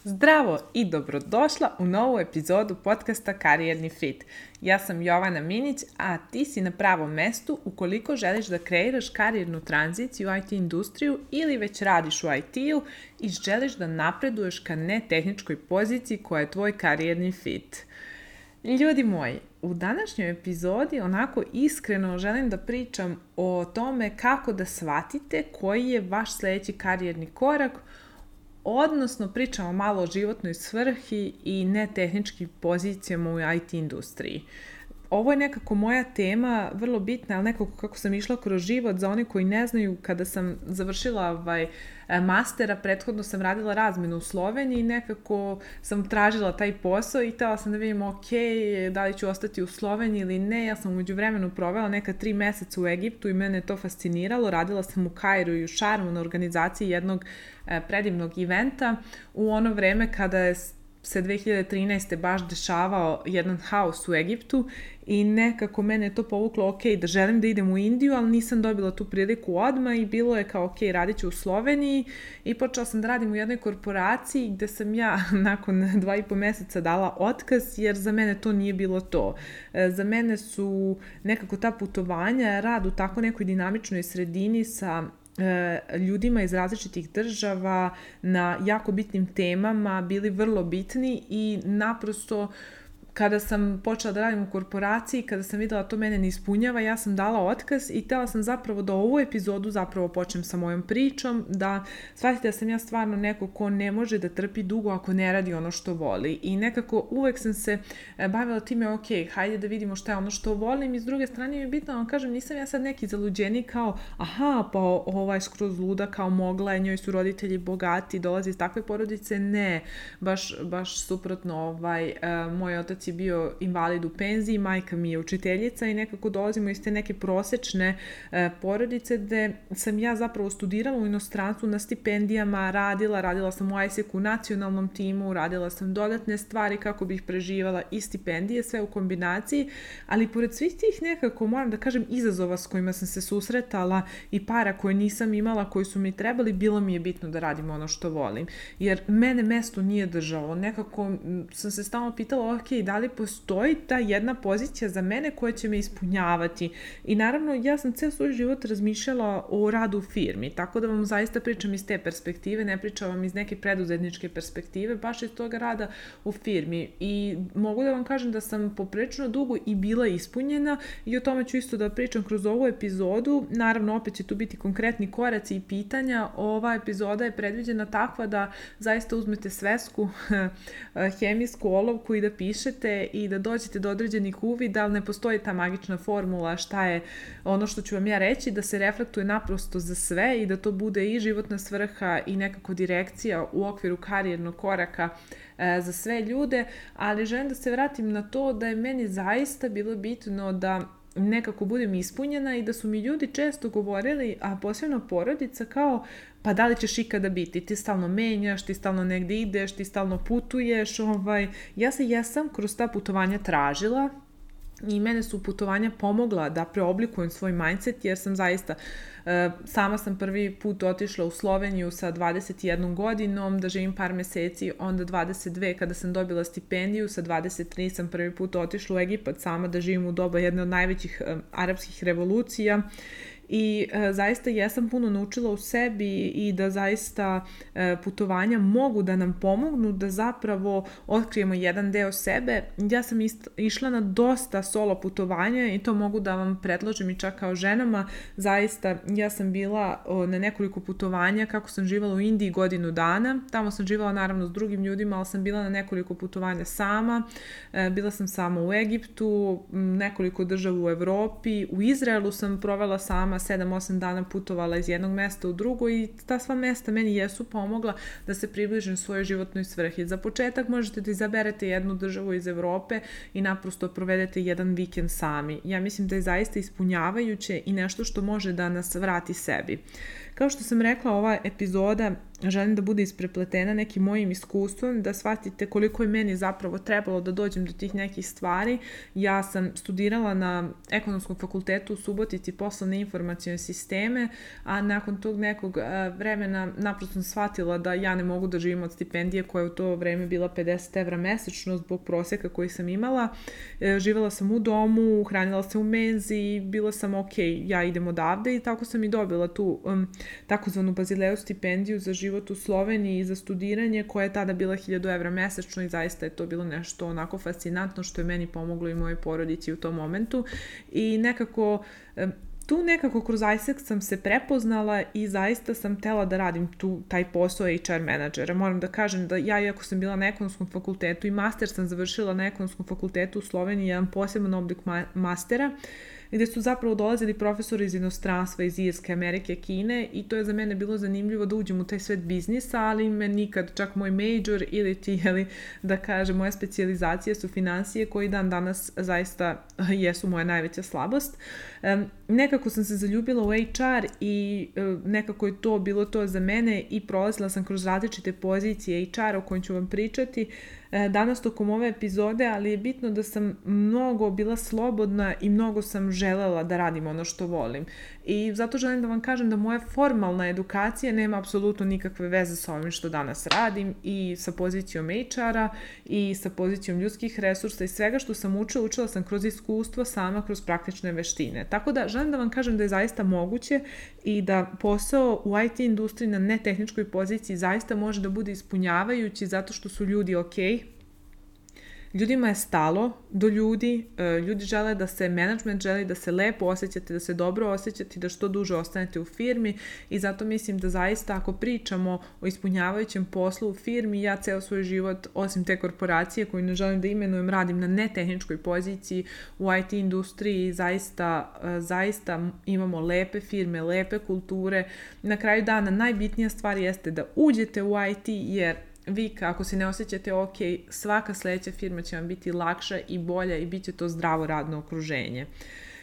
Zdravo i dobrodošla u novu epizodu podcasta Karijerni fit. Ja sam Jovana Minić, a ti si na pravom mestu ukoliko želiš da kreiraš karijernu tranziciju u IT industriju ili već radiš u IT-u i želiš da napreduješ ka netehničkoj poziciji koja je tvoj karijerni fit. Ljudi moji, u današnjoj epizodi onako iskreno želim da pričam o tome kako da shvatite koji je vaš sljedeći karijerni korak, odnosno pričamo malo o životnoj svrhi i netehničkim pozicijama u IT industriji. Ovo je nekako moja tema, vrlo bitna, ali nekako kako sam išla kroz život. Za one koji ne znaju, kada sam završila mastera, prethodno sam radila razmenu u Sloveniji i nekako sam tražila taj posao i htjela sam da vidim da li ću ostati u Sloveniji ili ne. Ja sam u međuvremenu provela neka 3 meseca u Egiptu i mene je to fasciniralo. Radila sam u Kairu i u Šarmu na organizaciji jednog predivnog eventa u ono vreme kada se 2013. baš dešavao jedan haos u Egiptu i nekako mene je to povuklo da želim da idem u Indiju, ali nisam dobila tu priliku odmah i bilo je kao radit ću u Sloveniji i počela sam da radim u jednoj korporaciji gde sam ja nakon 2,5 meseca dala otkaz jer za mene to nije bilo to. Za mene su nekako ta putovanja, rad u tako nekoj dinamičnoj sredini sa ljudima iz različitih država na jako bitnim temama bili vrlo bitni i naprosto kada sam počela da radim u korporaciji, kada sam videla da to mene ne ispunjava, ja sam dala otkaz i htjela sam zapravo da ovu epizodu zapravo počnem sa mojom pričom, da shvatite da sam ja stvarno neko ko ne može da trpi dugo ako ne radi ono što voli. I nekako uvek sam se bavila time, hajde da vidimo šta je ono što volim i s druge strane mi je bitno da vam kažem, nisam ja sad neki zaluđeni kao, pa ova je skroz luda, kao mogla je, njoj su roditelji bogati, dolazi iz takve porodice, ne, baš suprotno, moj otac je bio invalid u penziji, majka mi je učiteljica i nekako dolazimo iz te neke prosečne porodice gde sam ja zapravo studirala u inostranstvu na stipendijama, radila sam u ISEC-u, nacionalnom timu, radila sam dodatne stvari kako bih preživala i stipendije, sve u kombinaciji, ali pored svih tih nekako, moram da kažem, izazova s kojima sam se susretala i para koje nisam imala, koji su mi trebali, bilo mi je bitno da radim ono što volim. Jer mene mesto nije držalo. Nekako sam se stalno pitala, da li postoji ta jedna pozicija za mene koja će me ispunjavati. I naravno, ja sam ceo svoj život razmišljala o radu u firmi, tako da vam zaista pričam iz te perspektive, ne pričam vam iz neke preduzetničke perspektive, baš iz toga rada u firmi. I mogu da vam kažem da sam poprilično dugo i bila ispunjena i o tome ću isto da pričam kroz ovu epizodu. Naravno, opet će tu biti konkretni koraci i pitanja. Ova epizoda je predviđena takva da zaista uzmete svesku, hemijsku olovku i da pišete i da dođete do određenih uvida, ali ne postoji ta magična formula šta je ono što ću vam ja reći, da se reflektuje naprosto za sve i da to bude i životna svrha i nekako direkcija u okviru karijernog koraka za sve ljude, ali želim da se vratim na to da je meni zaista bilo bitno da nekako budem ispunjena i da su mi ljudi često govorili, a posebno porodica, kao pa da li ćeš ikada biti, ti stalno menjaš, ti stalno negdje ideš, ti stalno putuješ, ja se jesam kroz ta putovanja tražila i mene su putovanja pomogla da preoblikujem svoj mindset, jer sam zaista, sama sam prvi put otišla u Sloveniju sa 21 godinom, da živim par meseci, onda 22 kada sam dobila stipendiju, sa 23 sam prvi put otišla u Egipat sama da živim u doba jedne od najvećih arapskih revolucija. I zaista jesam puno naučila u sebi i da zaista putovanja mogu da nam pomognu da zapravo otkrijemo jedan deo sebe. Ja sam išla na dosta solo putovanja i to mogu da vam predložim i čak kao ženama. Zaista ja sam bila na nekoliko putovanja kako sam živala u Indiji 1 godinu dana. Tamo sam živala naravno s drugim ljudima, ali sam bila na nekoliko putovanja sama. Bila sam sama u Egiptu, nekoliko država u Evropi. U Izraelu sam provela sama 7-8 dana, putovala iz jednog mesta u drugo i ta sva mesta meni jesu pomogla da se približim svojoj životnoj svrhi. Za početak možete da izaberete jednu državu iz Evrope i naprosto provedete jedan vikend sami. Ja mislim da je zaista ispunjavajuće i nešto što može da nas vrati sebi. Kao što sam rekla, ova epizoda želim da bude isprepletena nekim mojim iskustvom, da shvatite koliko je meni zapravo trebalo da dođem do tih nekih stvari. Ja sam studirala na Ekonomskom fakultetu u Subotici poslovne informacione sisteme, a nakon tog nekog vremena naprosto sam shvatila da ja ne mogu da živim od stipendije koja je u to vreme bila 50 evra mesečno zbog proseka koji sam imala. Živela sam u domu, hranila se u menzi, bila sam ja idem odavde i tako sam i dobila tu takozvanu Bazileju stipendiju za život u Sloveniji i za studiranje koja je tada bila 1000 evra mesečno i zaista je to bilo nešto onako fascinantno što je meni pomoglo i mojoj porodici u tom momentu i nekako kroz ISEC sam se prepoznala i zaista sam htela da radim taj posao HR menadžera. Moram da kažem da ja, iako sam bila na Ekonomskom fakultetu i master sam završila na Ekonomskom fakultetu u Sloveniji, jedan poseban oblik mastera, gde su zapravo dolazili profesori iz inostranstva, iz Irske, Amerike, Kine i to je za mene bilo zanimljivo da uđem u taj svet biznisa, ali me nikad, čak moj major ili da kažem, moje specijalizacije su finansije koji dan danas zaista jesu moja najveća slabost. Nekako sam se zaljubila u HR i nekako je to bilo to za mene i prolazila sam kroz različite pozicije HR o kojim ću vam pričati danas tokom ove epizode, ali je bitno da sam mnogo bila slobodna i mnogo sam želela da radim ono što volim. I zato želim da vam kažem da moja formalna edukacija nema apsolutno nikakve veze sa ovim što danas radim i sa pozicijom HR-a i sa pozicijom ljudskih resursa i svega što sam učila sam kroz iskustvo sama, kroz praktične veštine. Tako da želim da vam kažem da je zaista moguće i da posao u IT industriji na netehničkoj poziciji zaista može da bude ispunjavajući zato što su ljudi Ljudima je stalo do ljudi, ljudi žele da se, management želi da se lepo osjećate, da se dobro osjećate, da što duže ostanete u firmi i zato mislim da zaista ako pričamo o ispunjavajućem poslu u firmi, ja ceo svoj život, osim te korporacije koju ne želim da imenujem, radim na netehničkoj poziciji u IT industriji, zaista imamo lepe firme, lepe kulture. Na kraju dana najbitnija stvar jeste da uđete u IT jer vi ako se ne osjećate svaka sledeća firma će vam biti lakša i bolja i bit će to zdravo radno okruženje.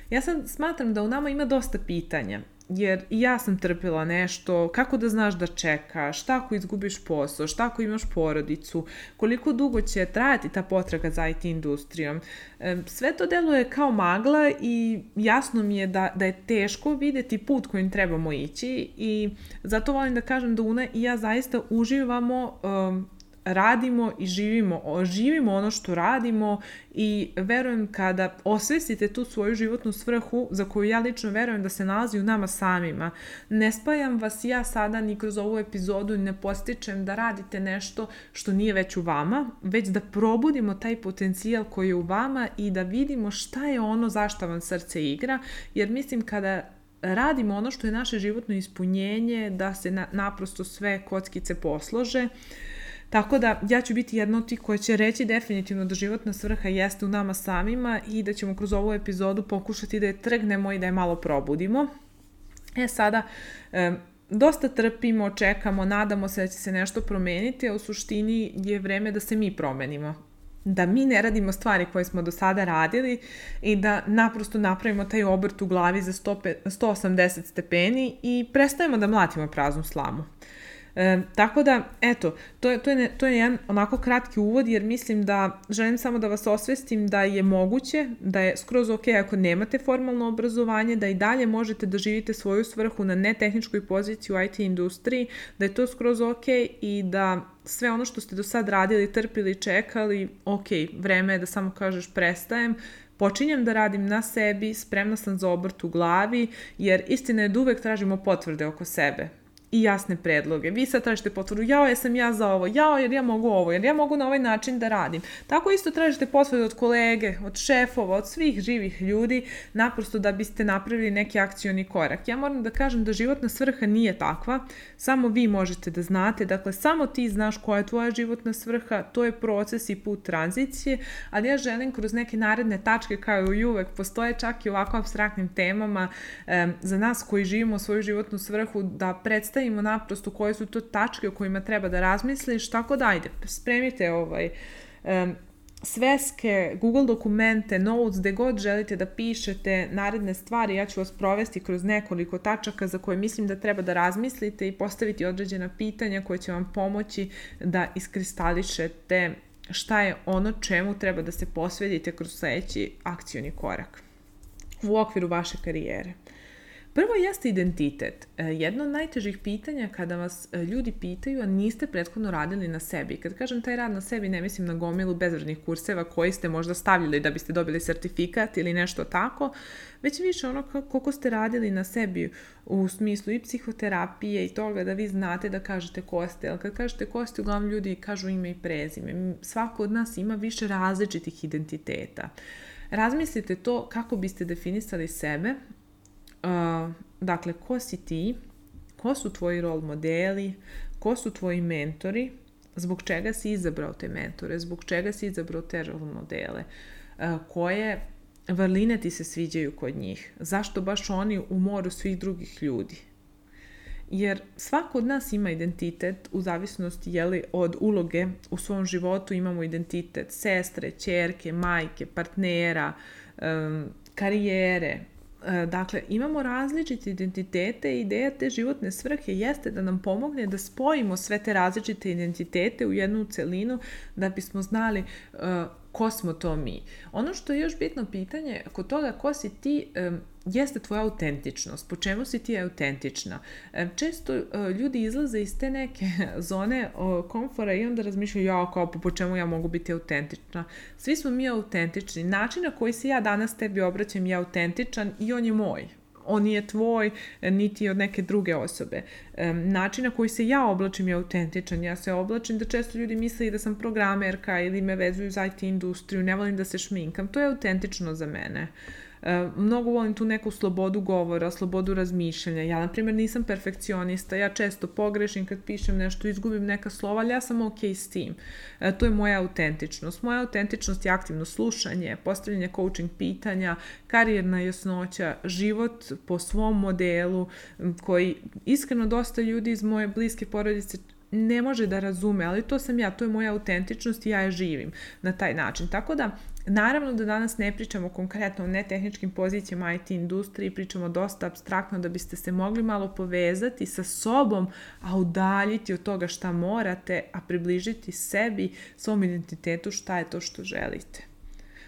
Ja sad smatram da u nama ima dosta pitanja, jer i ja sam trpila nešto, kako da znaš da čekaš, šta ako izgubiš posao, šta ako imaš porodicu, koliko dugo će trajati ta potraga za IT industrijom. Sve to deluje kao magla i jasno mi je da je teško videti put kojim trebamo ići i zato volim da kažem da Una i ja zaista uživamo, radimo i živimo ono što radimo i verujem kada osvestite tu svoju životnu svrhu za koju ja lično verujem da se nalazi u nama samima. Ne spajam vas ja sada ni kroz ovu epizodu i ne podstičem da radite nešto što nije već u vama, već da probudimo taj potencijal koji je u vama i da vidimo šta je ono zašto vam srce igra, jer mislim kada radimo ono što je naše životno ispunjenje, da se naprosto sve kockice poslože. Tako da ja ću biti jedna od tih koja će reći definitivno da životna svrha jeste u nama samima i da ćemo kroz ovu epizodu pokušati da je trgnemo i da je malo probudimo. Sada, dosta trpimo, čekamo, nadamo se da će se nešto promeniti, a u suštini je vreme da se mi promenimo. Da mi ne radimo stvari koje smo do sada radili i da naprosto napravimo taj obrt u glavi za 180 stepeni i prestajemo da mlatimo praznu slamu. Tako da, eto, to je jedan onako kratki uvod jer mislim da želim samo da vas osvestim da je moguće, da je skroz ako nemate formalno obrazovanje, da i dalje možete da živite svoju svrhu na netehničkoj poziciji u IT industriji, da je to skroz i da sve ono što ste do sad radili, trpili, čekali, vreme je da samo kažeš prestajem, počinjem da radim na sebi, spremna sam za obrt u glavi, jer istina je da uvek tražimo potvrde oko sebe i jasne predloge. Vi sad tražite potvrdu, jesam ja za ovo, jer ja mogu ovo, jer ja mogu na ovaj način da radim. Tako isto tražite potvrde od kolege, od šefova, od svih živih ljudi, naprosto da biste napravili neki akcioni korak. Ja moram da kažem da životna svrha nije takva, samo vi možete da znate, dakle samo ti znaš koja je tvoja životna svrha, to je proces i put tranzicije, ali ja želim kroz neke naredne tačke kao i uvek, postoje čak i ovako apstraktnim temama za nas koji živimo svoju životnu svrhu da predstavimo naprosto koje su to tačke o kojima treba da razmisliš, tako da ajde, spremite sveske, Google dokumente, notes, gde god želite da pišete naredne stvari, ja ću vas provesti kroz nekoliko tačaka za koje mislim da treba da razmislite i postaviti određena pitanja koje će vam pomoći da iskristališete šta je ono čemu treba da se posvetite kroz sledeći akcioni korak u okviru vaše karijere. Prvo jeste identitet. Jedno od najtežih pitanja kada vas ljudi pitaju, a niste prethodno radili na sebi. Kad kažem taj rad na sebi, ne mislim na gomilu bezvrednih kurseva koji ste možda stavljali da biste dobili sertifikat ili nešto tako, već više ono koliko ste radili na sebi u smislu i psihoterapije i toga da vi znate da kažete ko ste. Ali kad kažete ko ste, uglavnom ljudi kažu ime i prezime. Svako od nas ima više različitih identiteta. Razmislite to kako biste definisali sebe. Dakle, ko si ti, ko su tvoji role modeli, ko su tvoji mentori, zbog čega si izabrao te mentore, zbog čega si izabrao te role modele, koje vrline ti se sviđaju kod njih, zašto baš oni u moru svih drugih ljudi. Jer svako od nas ima identitet u zavisnosti od uloge u svom životu. Imamo identitet sestre, ćerke, majke, partnera, karijere. Dakle, imamo različite identitete i ideja te životne svrhe jeste da nam pomogne da spojimo sve te različite identitete u jednu celinu da bismo znali ko smo to mi. Ono što je još bitno pitanje kod toga ko si ti jeste tvoja autentičnost. Po čemu si ti autentična? Često ljudi izlaze iz te neke zone komfora i onda razmišljaju po čemu ja mogu biti autentična. Svi smo mi autentični. Način na koji se ja danas tebi obraćam je autentičan i on je moj. On nije tvoj, niti od neke druge osobe. Način na koji se ja oblačim je autentičan. Ja se oblačim da često ljudi misle da sam programerka ili me vezuju za IT industriju, ne volim da se šminkam. To je autentično za mene. Mnogo volim tu neku slobodu govora, slobodu razmišljanja. Ja, na primjer, nisam perfekcionista. Ja često pogrešim kad pišem nešto, izgubim neka slova, ali ja sam ok s tim. To je moja autentičnost. Moja autentičnost je aktivno slušanje, postavljanje coaching pitanja, karijerna jasnoća, život po svom modelu koji iskreno dosta ljudi iz moje bliske porodice ne može da razume, ali to sam ja, to je moja autentičnost i ja je živim na taj način. Tako da, naravno da danas ne pričamo konkretno o netehničkim pozicijama IT industriji, pričamo dosta apstraktno da biste se mogli malo povezati sa sobom, a udaljiti od toga šta morate, a približiti sebi, svom identitetu šta je to što želite.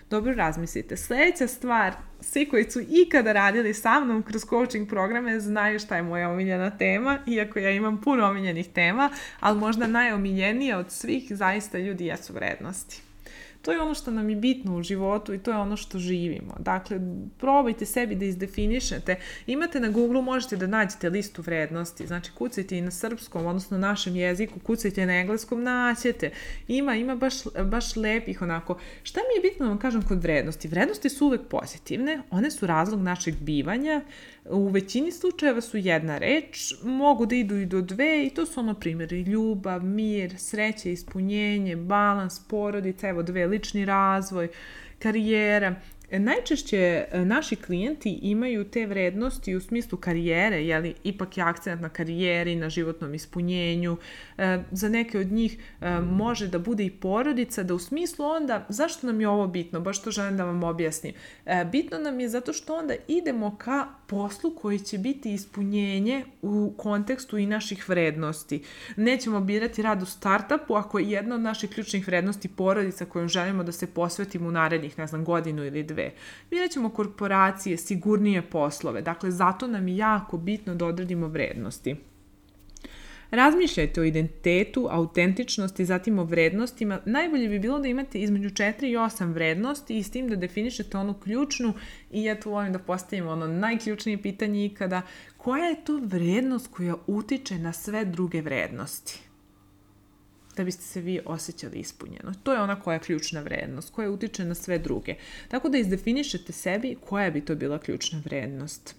Dobro razmislite. Sljedeća stvar, svi koji su ikada radili sa mnom kroz coaching programe znaju šta je moja omiljena tema, iako ja imam puno omiljenih tema, ali možda najomiljenija od svih zaista ljudi jesu vrednosti. To je ono što nam je bitno u životu i to je ono što živimo. Dakle, probajte sebi da izdefinišete. Imate na Google, možete da nađete listu vrednosti. Znači, kucajte i na srpskom, odnosno našem jeziku, kucajte na engleskom, naćete. Ima baš lepih onako. Šta mi je bitno da vam kažem kod vrednosti? Vrednosti su uvek pozitivne, one su razlog našeg bivanja. U većini slučajeva su jedna reč, mogu da idu i do dve i to su primjeri ljubav, mir, sreće, ispunjenje, balans, porodica, lični razvoj, karijera. Najčešće naši klijenti imaju te vrednosti u smislu karijere, ipak je akcent na karijeri, na životnom ispunjenju. Za neke od njih može da bude i porodica, da u smislu onda, zašto nam je ovo bitno? Baš to želim da vam objasnim. Bitno nam je zato što onda idemo ka poslu koji će biti ispunjenje u kontekstu i naših vrednosti. Nećemo birati rad u startupu ako je jedna od naših ključnih vrednosti porodica kojom želimo da se posvetimo u narednih, godinu ili dve. Birat ćemo korporacije, sigurnije poslove. Dakle, zato nam je jako bitno da odredimo vrednosti. Razmišljajte o identitetu, autentičnosti, zatim o vrednostima. Najbolje bi bilo da imate između 4 i 8 vrednosti i s tim da definišete onu ključnu i ja tu volim da postavim najključnije pitanje ikada. Koja je to vrednost koja utiče na sve druge vrednosti? Da biste se vi osjećali ispunjeno. To je ona koja je ključna vrednost, koja utiče na sve druge. Tako da izdefinišete sebi koja bi to bila ključna vrednost.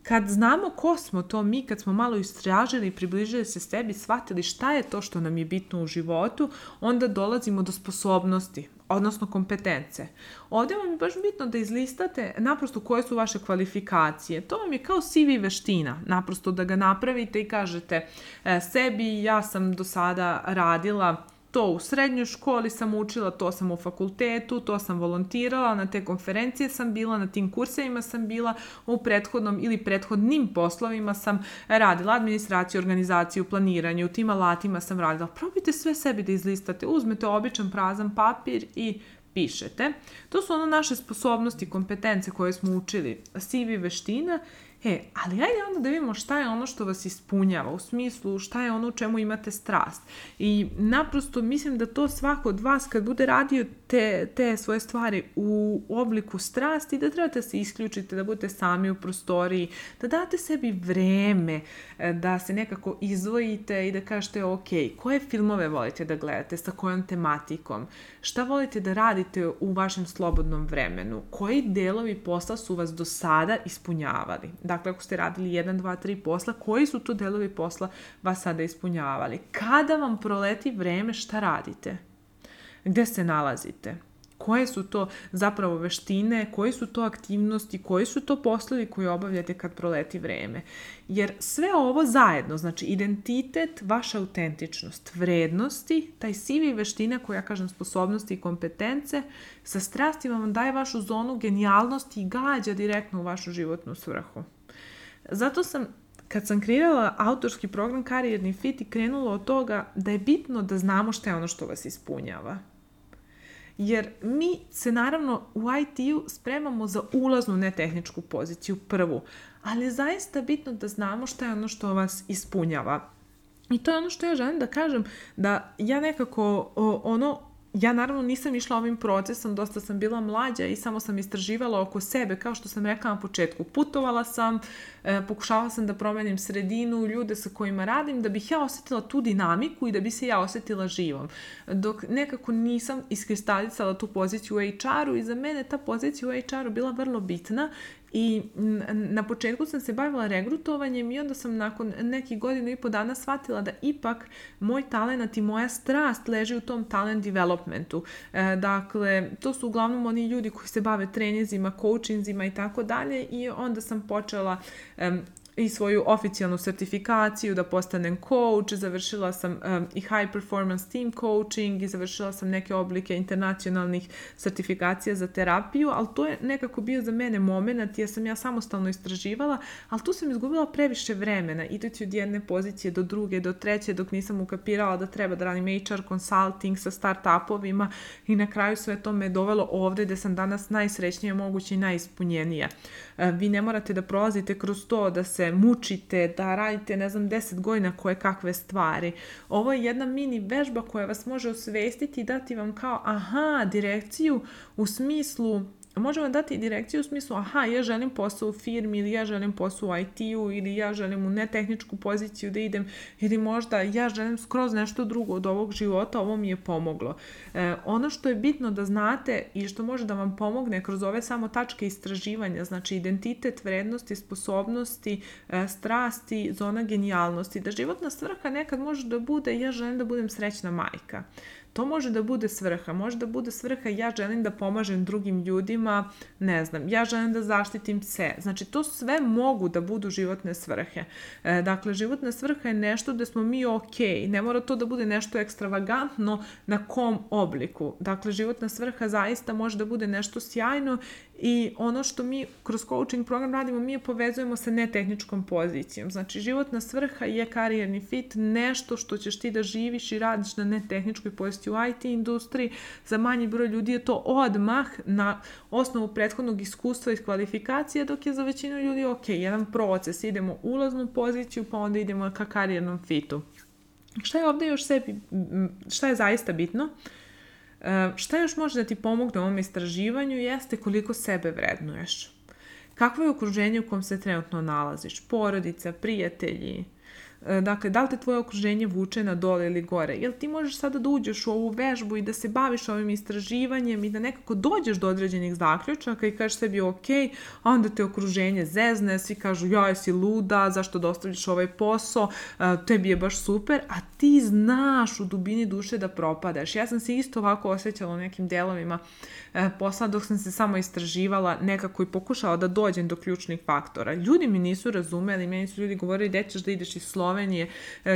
Kad znamo ko smo to mi, kad smo malo istražili i približili se sebi, shvatili šta je to što nam je bitno u životu, onda dolazimo do sposobnosti, odnosno kompetence. Ovdje vam je baš bitno da izlistate naprosto koje su vaše kvalifikacije. To vam je kao CV veština, naprosto da ga napravite i kažete sebi ja sam do sada radila to u srednjoj školi sam učila, to sam u fakultetu, to sam volontirala, na te konferencije sam bila, na tim kursevima sam bila, u prethodnom ili prethodnim poslovima sam radila administraciju, organizaciju, planiranje, u tim alatima sam radila. Probajte sve sebi da izlistate, uzmete običan prazan papir i pišete. To su naše sposobnosti, kompetence koje smo učili, CV, veština. Ali ajde onda da vidimo šta je ono što vas ispunjava, u smislu šta je ono u čemu imate strast. I naprosto mislim da to svako od vas kad bude radio te svoje stvari u obliku strasti, da trebate se isključite, da budete sami u prostoriji, da date sebi vreme, da se nekako izdvojite i da kažete ok, koje filmove volite da gledate, sa kojom tematikom, šta volite da radite u vašem slobodnom vremenu, koji delovi posla su vas do sada ispunjavali. Dakle, ako ste radili 1, 2, 3 posla, koji su to delovi posla vas sada ispunjavali? Kada vam proleti vreme, šta radite? Gde se nalazite? Koje su to zapravo veštine, koje su to aktivnosti, koji su to poslovi koje obavljate kad proleti vreme? Jer sve ovo zajedno, znači identitet, vaša autentičnost, vrednosti, taj CV veština koja, kažem, sposobnosti i kompetence, sa strastima vam daje vašu zonu genijalnosti i gađa direktno u vašu životnu svrhu. Zato sam, kad sam kreirala autorski program Karijerni fit, i krenula od toga da je bitno da znamo šta je ono što vas ispunjava. Jer mi se naravno u IT-u spremamo za ulaznu netehničku poziciju, prvu, ali je zaista bitno da znamo šta je ono što vas ispunjava. I to je ono što ja želim da kažem, da ja nekako ja naravno nisam išla ovim procesom, dosta sam bila mlađa i samo sam istraživala oko sebe, kao što sam rekla na početku. Putovala sam, pokušavala sam da promenim sredinu, ljude sa kojima radim, da bih ja osjetila tu dinamiku i da bi se ja osjetila živom. Dok nekako nisam iskristalisala tu poziciju u HR-u i za mene ta pozicija u HR-u bila vrlo bitna. I na početku sam se bavila regrutovanjem i onda sam nakon nekih 1.5 dana shvatila da ipak moj talent i moja strast leži u tom talent developmentu. Dakle, to su uglavnom oni ljudi koji se bave treninzima, coachinzima i tako dalje, i onda sam počela i svoju oficijalnu sertifikaciju da postanem coach, završila sam i high performance team coaching i završila sam neke oblike internacionalnih sertifikacija za terapiju, ali to je nekako bio za mene moment jer sam ja samostalno istraživala, ali tu sam izgubila previše vremena, idući od jedne pozicije do druge, do treće, dok nisam ukapirala da treba da radim HR consulting sa start-upovima, i na kraju sve to me dovelo ovde gde sam danas najsrećnija moguće i najispunjenija. Vi ne morate da prolazite kroz to, da se mučite, da radite, 10 godina koje kakve stvari. Ovo je jedna mini vežba koja vas može osvestiti i dati vam kao direkciju u smislu, možemo dati direkciju u smislu, ja želim posao u firmi, ili ja želim posao u IT-u, ili ja želim u netehničku poziciju da idem, ili možda ja želim skroz nešto drugo od ovog života, ovo mi je pomoglo. Ono što je bitno da znate i što može da vam pomogne kroz ove samo tačke istraživanja, znači identitet, vrednosti, sposobnosti, strasti, zona genijalnosti, da životna svrha nekad može da bude ja želim da budem srećna majka. To može da bude svrha, može da bude svrha ja želim da pomažem drugim ljudima, ja želim da zaštitim se. Znači, to sve mogu da budu životne svrhe. Dakle, životna svrha je nešto gde smo mi ne mora to da bude nešto ekstravagantno na kom obliku. Dakle, životna svrha zaista može da bude nešto sjajno i ono što mi kroz coaching program radimo, mi je povezujemo sa netehničkom pozicijom. Znači, životna svrha je karijerni fit, nešto što ćeš ti da živiš i radiš na netehničkoj poziciji u IT industriji. Za manji broj ljudi je to odmah na osnovu prethodnog iskustva i kvalifikacije, dok je za većinu ljudi jedan proces. Idemo u ulaznu poziciju, pa onda idemo ka karijernom fitu. Šta je ovdje još šta je zaista bitno? Šta još može da ti pomogne u ovom istraživanju jeste koliko sebe vrednuješ. Kakvo je okruženje u kom se trenutno nalaziš? Porodica, prijatelji. Dakle, da li te tvoje okruženje vuče na dole ili gore? Jel ti možeš sada da uđeš u ovu vežbu i da se baviš ovim istraživanjem i da nekako dođeš do određenih zaključaka i kažeš sebi a onda te okruženje zezne, svi kažu jesi luda, zašto da ostavljaš ovaj posao, tebi je baš super, a ti znaš u dubini duše da propadaš. Ja sam se isto ovako osjećala u nekim delovima posla dok sam se samo istraživala nekako i pokušala da dođem do ključnih faktora. Ljudi mi nisu razumeli, meni su ljudi govorili gde ćeš da ideš iz Slovenije, Slovenije,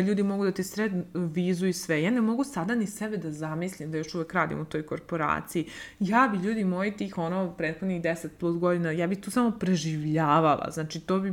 ljudi mogu da ti srednu vizu i sve. Ja ne mogu sada ni sebe da zamislim da još uvek radim u toj korporaciji. Ja bi, ljudi moji, tih prethodnih 10 plus godina, ja bi tu samo preživljavala. Znači, to bi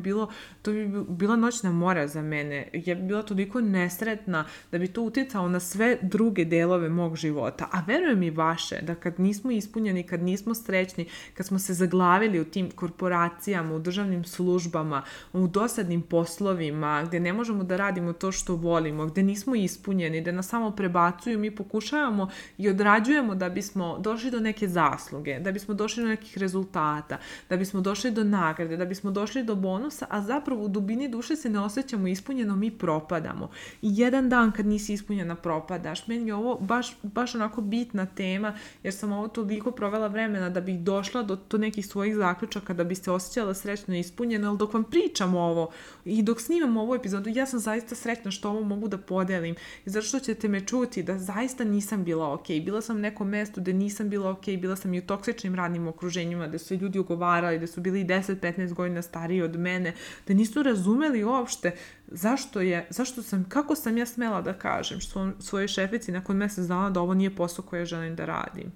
bila noćna mora za mene. Ja bi bila toliko nesretna da bi to uticalo na sve druge delove mog života. A verujem i vaše, da kad nismo ispunjeni, kad nismo srećni, kad smo se zaglavili u tim korporacijama, u državnim službama, u dosadnim poslovima, gde ne možemo da radimo to što volimo, gde nismo ispunjeni, da nas samo prebacuju, mi pokušavamo i odrađujemo da bismo došli do neke zasluge, da bismo došli do nekih rezultata, da bismo došli do nagrade, da bismo došli do bonusa, a zapravo u dubini duše se ne osjećamo ispunjeno, mi propadamo. I jedan dan kad nisi ispunjena propadaš. Meni je ovo baš onako bitna tema, jer sam ovo toliko provela vremena da bih došla do nekih svojih zaključaka, da bi se osjećala srećno i ispunjena, ali dok vam pričam ovo i dok snimam ovu epizodu, ja sam zaista srećna što ovo mogu da podelim i zato što ćete me čuti da zaista nisam bila okej. Bila sam u nekom mestu gde nisam bila okej, bila sam i u toksičnim radnim okruženjima, gde su ljudi ogovarali, gde su bili 10-15 godina stariji od mene, da nisu razumeli uopšte kako sam ja smela da kažem svojoj šefici nakon mesec dana da ovo nije posao koje želim da radim.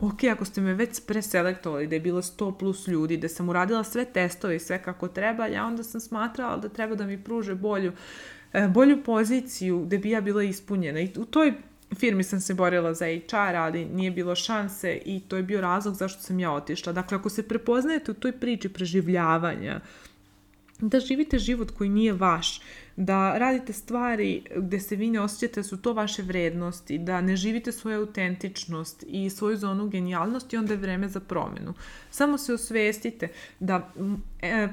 Ok, ako ste me već preselektovali, da je bilo 100 plus ljudi, da sam uradila sve testove i sve kako treba, ja onda sam smatrala da treba da mi pruže bolju poziciju gde bi ja bila ispunjena. I u toj firmi sam se borila za HR, ali nije bilo šanse i to je bio razlog zašto sam ja otišla. Dakle, ako se prepoznajete u toj priči preživljavanja, da živite život koji nije vaš, da radite stvari gde se vi ne osjećate da su to vaše vrednosti, da ne živite svoju autentičnost i svoju zonu genijalnosti, onda je vreme za promenu. Samo se osvestite da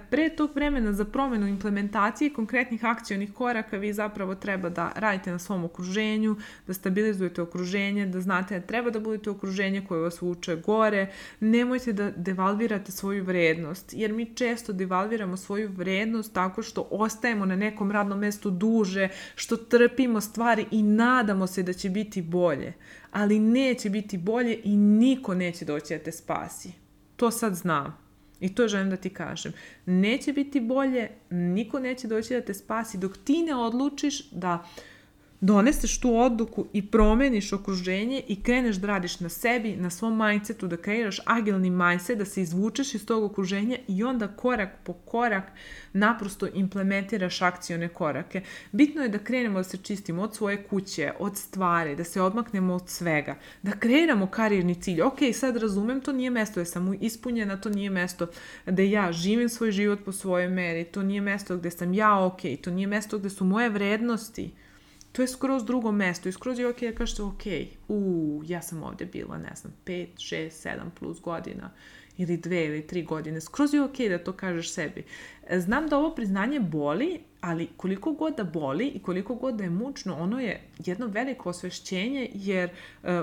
pre tog vremena za promenu implementacije konkretnih akcionih koraka vi zapravo treba da radite na svom okruženju, da stabilizujete okruženje, da znate da treba da budete okruženje koje vas vuče gore. Nemojte da devalvirate svoju vrednost, jer mi često devalviramo svoju vrednost tako što ostajemo na nekom radnom mestu duže, što trpimo stvari i nadamo se da će biti bolje. Ali neće biti bolje i niko neće doći da te spasi. To sad znam. I to želim da ti kažem. Neće biti bolje, niko neće doći da te spasi dok ti ne odlučiš da doneseš tu odluku i promeniš okruženje i kreneš da radiš na sebi, na svom mindsetu, da kreiraš agilni mindset, da se izvučeš iz tog okruženja i onda korak po korak naprosto implementiraš akcione korake. Bitno je da krenemo da se čistimo od svoje kuće, od stvari, da se odmaknemo od svega, da kreiramo karijerni cilj. Ok, sad razumem, to nije mesto gde sam ispunjena, to nije mesto gde ja živim svoj život po svojoj meri, to nije mesto gde sam ja ok, to nije mesto gde su moje vrednosti. To je skroz drugo mesto i skroz je okej da kažete okej, ja sam ovdje bila, 5, 6, 7 plus godina ili 2 ili 3 godine. Skroz je okej da to kažeš sebi. Znam da ovo priznanje boli, ali koliko god da boli i koliko god da je mučno, ono je jedno veliko osvešćenje jer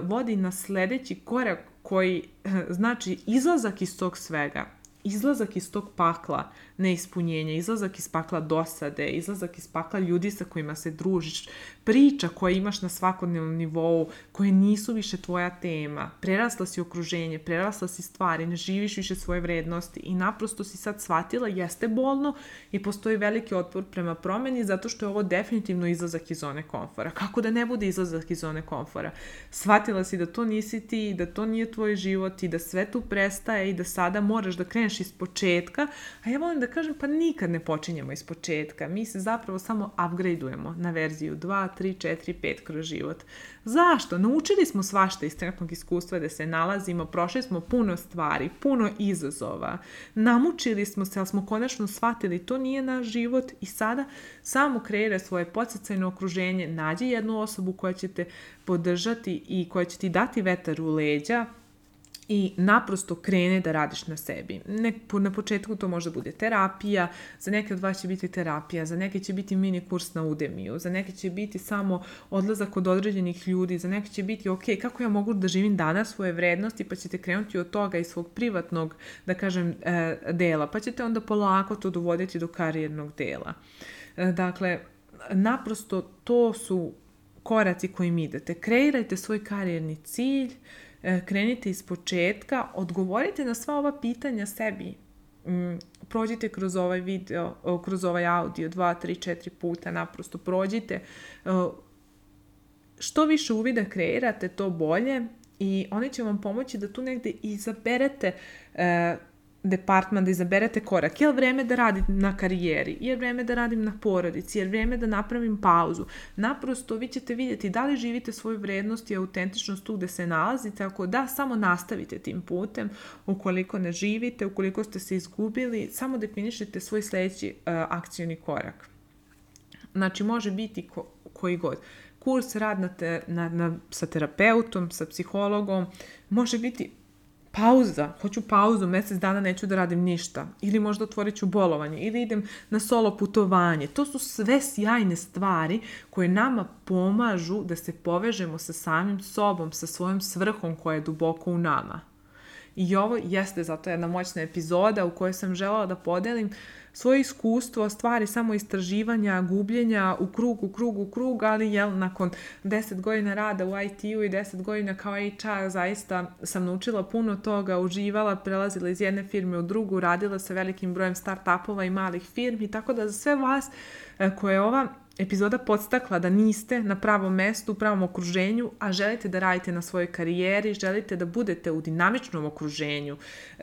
vodi na sledeći korak koji znači izlazak iz tog svega. Izlazak iz tog pakla neispunjenja, izlazak iz pakla dosade, izlazak iz pakla ljudi sa kojima se družiš, priča koje imaš na svakodnevnom nivou, koje nisu više tvoja tema, prerasla si okruženje, prerasla si stvari, ne živiš više svoje vrednosti i naprosto si sad shvatila, jeste bolno i postoji veliki otpor prema promeni zato što je ovo definitivno izlazak iz zone komfora. Kako da ne bude izlazak iz zone komfora? Shvatila si da to nisi ti, da to nije tvoj život i da sve tu prestaje i da sada moraš da kreneš iz početka, a ja volim da kažem pa nikad ne počinjemo iz početka, mi se zapravo samo upgradeujemo na verziju 2, 3, 4, 5 kroz život. Zašto? Naučili smo svašta iz trenutnog iskustva da se nalazimo, prošli smo puno stvari, puno izazova, namučili smo se, ali smo konačno shvatili to nije naš život i sada samo kreira svoje podsticajno okruženje, nađi jednu osobu koja će te podržati i koja će ti dati vetar u leđa i naprosto krene da radiš na sebi. Na početku to može bude terapija, za neke od vas će biti terapija, za neke će biti mini kurs na Udemiju, za neke će biti samo odlazak od određenih ljudi, za neke će biti ok, kako ja mogu da živim danas svoje vrednosti, pa ćete krenuti od toga iz svog privatnog, da kažem, dela, pa ćete onda polako to dovoditi do karijernog dela. Dakle, naprosto to su koraci kojim idete. Kreirajte svoj karijerni cilj, krenite iz početka, odgovorite na sva ova pitanja sebi. prođite kroz ovaj video, kroz ovaj audio 2, 3, 4 puta, naprosto prođite. Što više uvida kreirate, to bolje i oni će vam pomoći da tu negde izaberete departman, da izaberete korak. Je li vreme da radim na karijeri? Je li vreme da radim na porodici? Je li vreme da napravim pauzu? Naprosto vi ćete vidjeti da li živite svoju vrednost i autentičnost tu gde se nalazite. Ako da, samo nastavite tim putem. Ukoliko ne živite, ukoliko ste se izgubili, samo definišite svoj sledeći akcioni korak. Znači, može biti koji god. Kurs, rad sa terapeutom, sa psihologom, može biti pauza, hoću pauzu, mjesec dana neću da radim ništa, ili možda otvorit ću bolovanje, ili idem na solo putovanje. To su sve sjajne stvari koje nama pomažu da se povežemo sa samim sobom, sa svojom svrhom koja je duboko u nama. I ovo jeste zato jedna moćna epizoda u kojoj sam želela da podelim svoje iskustvo, stvari samo istraživanja, gubljenja u krug, ali nakon 10 godina rada u IT-u i 10 godina kao HR zaista sam naučila puno toga, uživala, prelazila iz jedne firme u drugu, radila sa velikim brojem start-upova i malih firmi, tako da za sve vas koje je ova epizoda podstakla da niste na pravom mestu, u pravom okruženju, a želite da radite na svojoj karijeri, želite da budete u dinamičnom okruženju,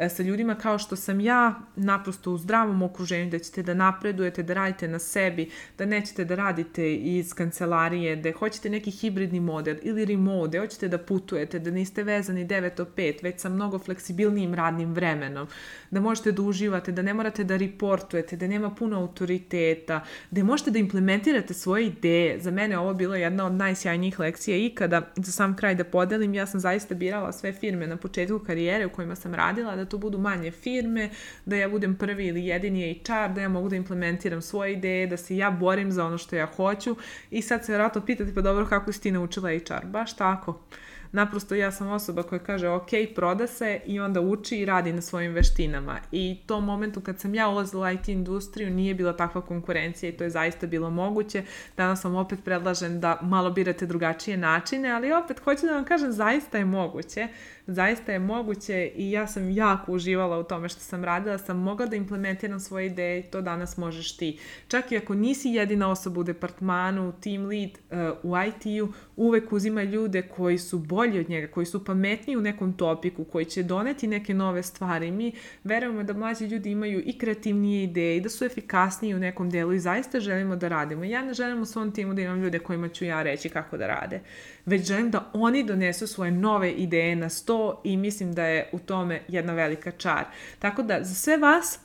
sa ljudima kao što sam ja, naprosto u zdravom okruženju, da ćete da napredujete, da radite na sebi, da nećete da radite iz kancelarije, da hoćete neki hibridni model ili remote, da hoćete da putujete, da niste vezani 9 do 5, već sa mnogo fleksibilnijim radnim vremenom, da možete da uživate, da ne morate da reportujete, da nema puno autoriteta, da možete da implementirate svoje ideje. Za mene ovo bila jedna od najsjajnijih lekcija ikada. Za sam kraj da podelim, ja sam zaista birala sve firme na početku karijere u kojima sam radila, da to budu manje firme, da ja budem prvi ili jedini HR, da ja mogu da implementiram svoje ideje, da se ja borim za ono što ja hoću. I sad se vjerojatno pitate, pa dobro, kako si ti naučila HR? Baš tako. Naprosto ja sam osoba koja kaže ok, proda se i onda uči i radi na svojim veštinama. I tom momentu kad sam ja ulazila u IT industriju nije bila takva konkurencija i to je zaista bilo moguće. Danas vam opet predlažem da malo birate drugačije načine, ali opet hoću da vam kažem zaista je moguće. Zaista je moguće i ja sam jako uživala u tome što sam radila, sam mogla da implementiram svoje ideje i to danas možeš ti. Čak i ako nisi jedina osoba u departmanu, team lead u IT-u, uvek uzima ljude koji su bolji od njega, koji su pametniji u nekom topiku, koji će doneti neke nove stvari. Mi verujemo da mlađi ljudi imaju i kreativnije ideje i da su efikasniji u nekom delu i zaista želimo da radimo. Ja ne želim u svom timu da imam ljude kojima ću ja reći kako da rade, već želim da oni donesu svoje nove ideje na sto i mislim da je u tome jedna velika čar. Tako da za sve vas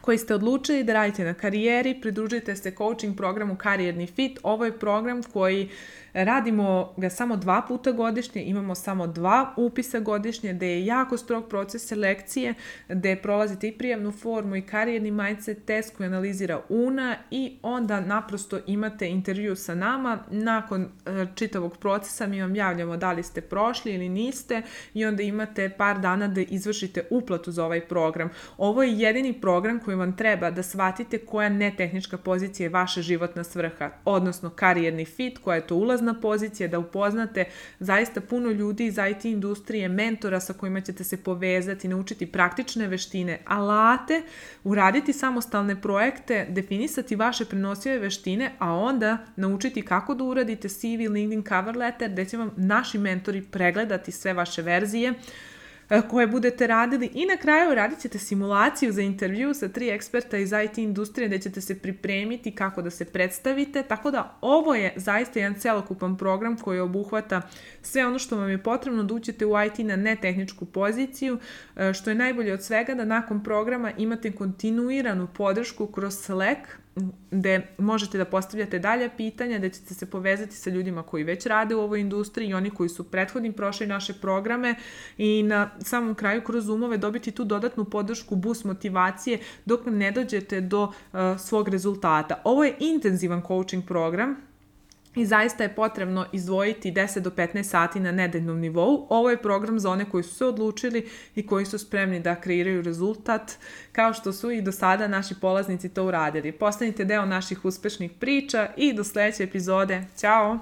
koji ste odlučili da radite na karijeri, pridružite se coaching programu Karijerni fit. Ovo je program koji radimo ga samo 2 puta godišnje, imamo samo 2 upisa godišnje, gde je jako strog proces selekcije, gde prolazite i prijemnu formu i karijerni mindset test koji analizira UNA i onda naprosto imate intervju sa nama. Nakon čitavog procesa mi vam javljamo da li ste prošli ili niste i onda imate par dana da izvršite uplatu za ovaj program. Ovo je jedini program koji vam treba da shvatite koja netehnička pozicija je vaša životna svrha, odnosno karijerni fit, koja je to ulazna pozicija, da upoznate zaista puno ljudi iz IT industrije, mentora sa kojima ćete se povezati, naučiti praktične veštine, alate, uraditi samostalne projekte, definisati vaše prenosive veštine, a onda naučiti kako da uradite CV, LinkedIn, cover letter, gde će vam naši mentori pregledati sve vaše verzije koje budete radili i na kraju radit ćete simulaciju za intervju sa 3 eksperta iz IT industrije gde ćete se pripremiti kako da se predstavite, tako da ovo je zaista jedan celokupan program koji obuhvata sve ono što vam je potrebno da uđete u IT na netehničku poziciju, što je najbolje od svega da nakon programa imate kontinuiranu podršku kroz Slack, gde možete da postavljate dalje pitanja, gde ćete se povezati sa ljudima koji već rade u ovoj industriji i oni koji su prethodnim prošli naše programe i na samom kraju kroz Zoomove dobiti tu dodatnu podršku, boost motivacije dok ne dođete do svog rezultata. Ovo je intenzivan coaching program i zaista je potrebno izdvojiti 10 do 15 sati na nedeljnom nivou. Ovo je program za one koji su se odlučili i koji su spremni da kreiraju rezultat, kao što su i do sada naši polaznici to uradili. Postanite deo naših uspešnih priča i do sledeće epizode. Ćao!